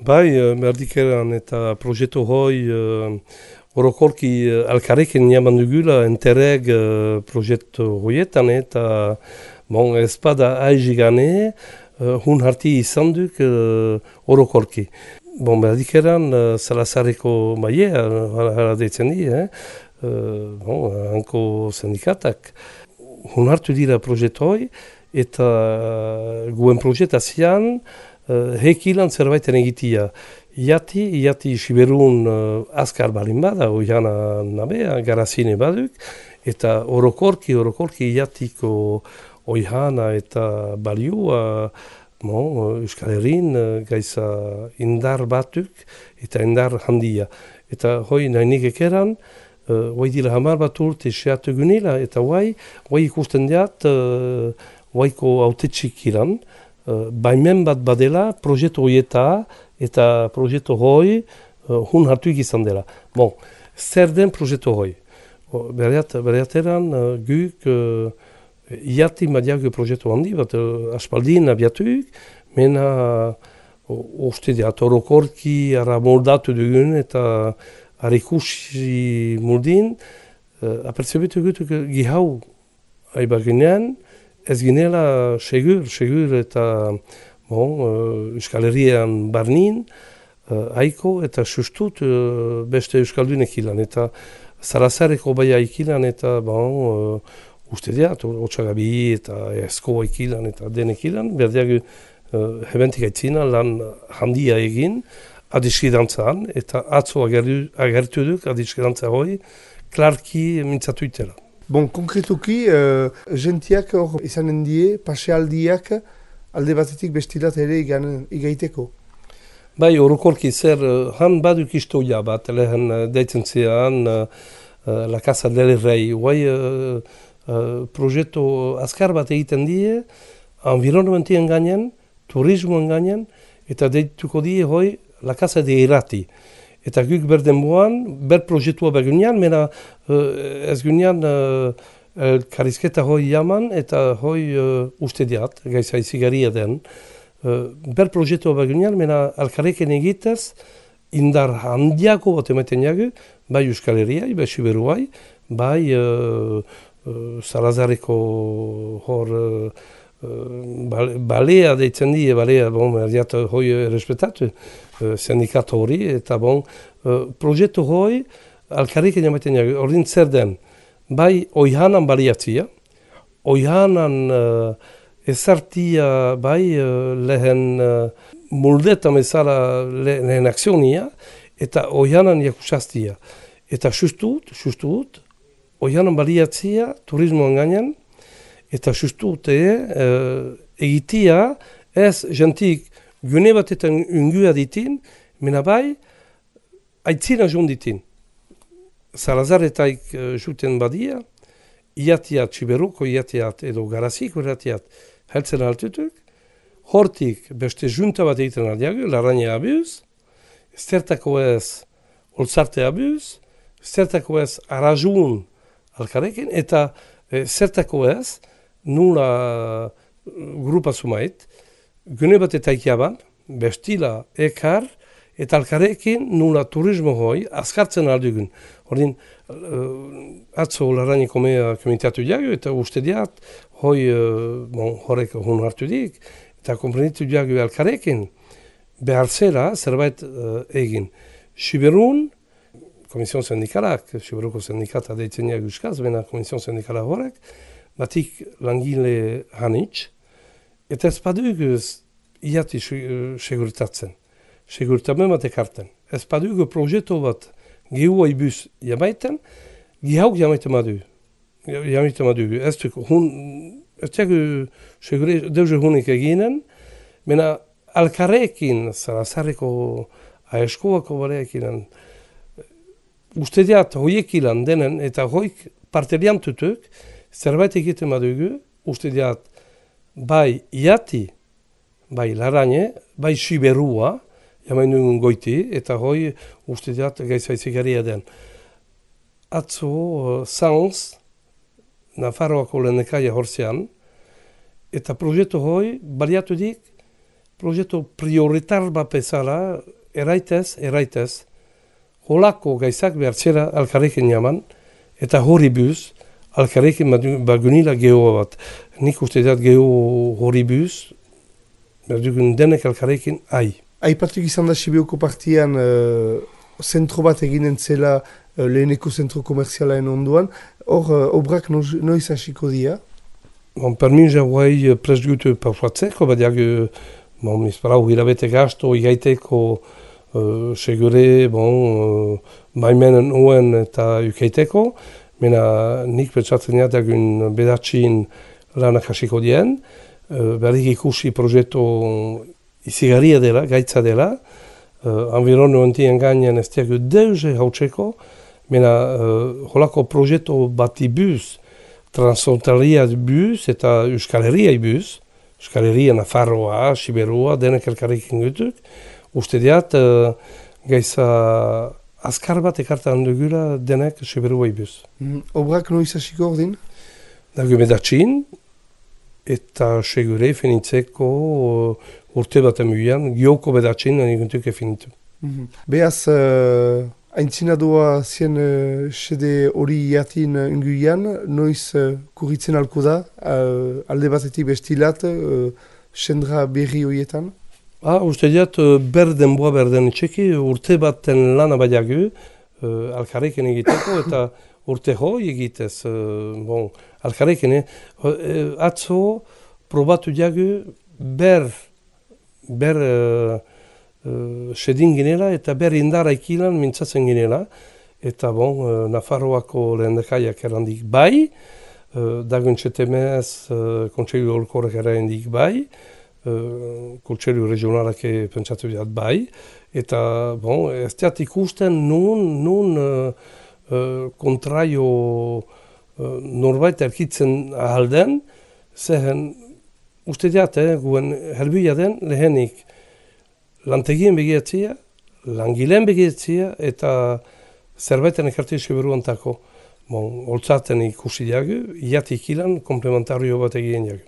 Bai, merdikeran eta proiektu hoi orokorki alkarekin jaman dugula enterreg proiektu hoietan eta ez bada aizigane hun harti izan duk orokorki. Merdikeran Salazareko mailea hala deitzen di, hanko sindikatak. Hun hartu dira proiektu hoi eta guen proiektazian hekilan zerbaiten egitia. Iati Siberun azkar balin bada, oiana nabea, garazine baduk, eta orokorki iatiko oihana eta baliua Euskal Herrin gaiza indar batuk eta indar handia. Eta hoi nahi ekeran, hoi dira 10 bat urte seatu gunila, eta hoi ikusten diat, hoiko autetxik iran, baimen bat badela proiektu hoieta eta proiektu hoi hun hartuik izan dela. Zer den proiektu hoi? Bereateran guk iati madiago proiektu handi bat aspaldin abiatuik, mena uste diat orokorki ara moldatu dugun eta harikusi moldin apertzebetu gutuk gihau aibaginean ez ginela segur eta Euskal Herrian barnin haiko eta sustut beste Euskaldunek ilan eta Salazareko baia ikilan eta uste diat, Otsagabi eta Eskoa ikilan eta denek ilan, berdiago hebentik aitzina lan handia egin adiskidantzan eta atzo agertu duk adiskidantza hoi klarki mintzatu itela. Konkretuki, gentiak hor izanen die, pasealdiak alde batetik bestilat ere igaiteko? Bai, orokorki zer, han baduk istoia bat, lehen deitzen zean, La Casa del Rey, proiektu azkar bat egiten die, environnementien gainen, turismoen gainen, eta deituko die hoi La Casa de Irati. Eta guk berdenboan, proiektua bergunean, mena ez gunean karizketa hoi jaman eta hoi uste diat, gaiza izigaria den. Proiektua bergunean, mena alkareken egitez, indar handiako bat ematen jagu, bai Euskal Herriai, bai Siberuai, bai Salazareko hor balea deitzen die, balea, erdiat hoi errespetatu, sindikatu hori, eta proiektu hoi alkarriken jamaten jagu, ordin zer den, bai oihanan baliatzia, oihanan ezartia bai lehen moldetan ezala lehen akzionia, eta oihanan jakusaztia. Eta sustut, oihanan baliatzia turismoan gainean, eta sustut egitia ez jentik gune batetan ungua ditin, mena bai, aitzina joan ditin. Salazaretaik juten badia, iatiat Siberuko iatiat edo Garaziko iatiat heltzen altutuk, hortik beste junta bat egiten aldiago, Larraña abuz, zertako ez Olzarte abuz, zertako ez Arajun alkarekin, eta zertako ez nula grupa sumait, gune bat eta ikiaban, bestila ekar, eta alkarekin nula turismo hoi azkartzen aldugun. Ordin, atzo Larrañeko mea komentatu jago, eta uste diat, hoi horrek hun hartu dik, eta komprenitu jago alkarekin, behar zera zerbait egin. Siberun, Komision Sindikalak, Siberuko Sindikata deitzen jago euskaz, bena Komision Sindikala horrek, batik langile hanitz, eta ez baduk iati segurtatzen. Segurtamen bat ekarten. Ez baduk proiektu bat gehua ibuz jamaiten, gehauk jamaiten madu. Ez dugu deuze hunik eginen, mena alkarrekin, Salazareko aeskoako bareekin, uste diat hoiek ilan denen eta hoik partelian tutuk, zerbait egiten badugu, uste diat bai iati, bai Larrañe, bai Siberua, jamain dugun goiti, eta hoi uste diat gaiza izigaria den. Atzo Sanz, Nafarroako lehendakaria horzean, eta proiektu hoi baliatu dik, proiektu prioritar bat bezala eraitez, holako gaizak behartzera alkarrekin jaman, eta hori buz, alkarrekin bagunila gehoa bat. Nik uste dut geho hori buz, berdugun denek alkarrekin Aipatuk izan da Sibioko partian zentro bat eginen zela leheneko zentro komerzialaen onduan. Hor, obrak noiz hasiko dira? Per min jauai prest gut pausatzeko, badiak izparau hilabete gasto igaiteko segure, maimenen uen eta ukeiteko, mena nik pentsatzen dagun bedatxin lanak hasiko dien, berrik ikusi proiektu izigarria dela, gaitza dela, environo entien gainean ez diago deuze hautseko, mena holako proiektu bati buz, transfrontalia buz eta Euskal Herria buz, Euskal Herria, Nafarroa, Siberua, denek elkarrekin gutuk, uste diat gaiza azkar bat ekartan dugula denek Siberua buz. Obrak noiz hasiko ordin? Dago bedatxin, eta segure finitzeko urte bat emuian, gioko bedatxin aniguntuk finitu. Beaz, aintzinadua zien sede hori jatin inguian, noiz kurritzen alko da, alde batetik bestilat, sendra berri horietan? Uste diat, berden txeki, urte baten lana badiagu, alkarrekin egiteko, eta urte hoi egitez, alkarrekin, atzo probatu diagu ber sedin ginela eta ber indara ikilan mintzatzen ginela, eta Nafarroako lehendakaiak erandik bai, dagoen txetemez kontseilu holkorek erandik bai, kontseilu regionalak pentsatu diat bai, eta ez diat ikusten nun kontraio norbait erkitzen ahalden, zehen uste diat, guen herbuia den lehenik lantegien begiatzia, langileen begiatzia eta zerbaiten ekartio Siberuantako. Holtzaten ikusi diagu, iatik ilan komplementario bat egin diagu.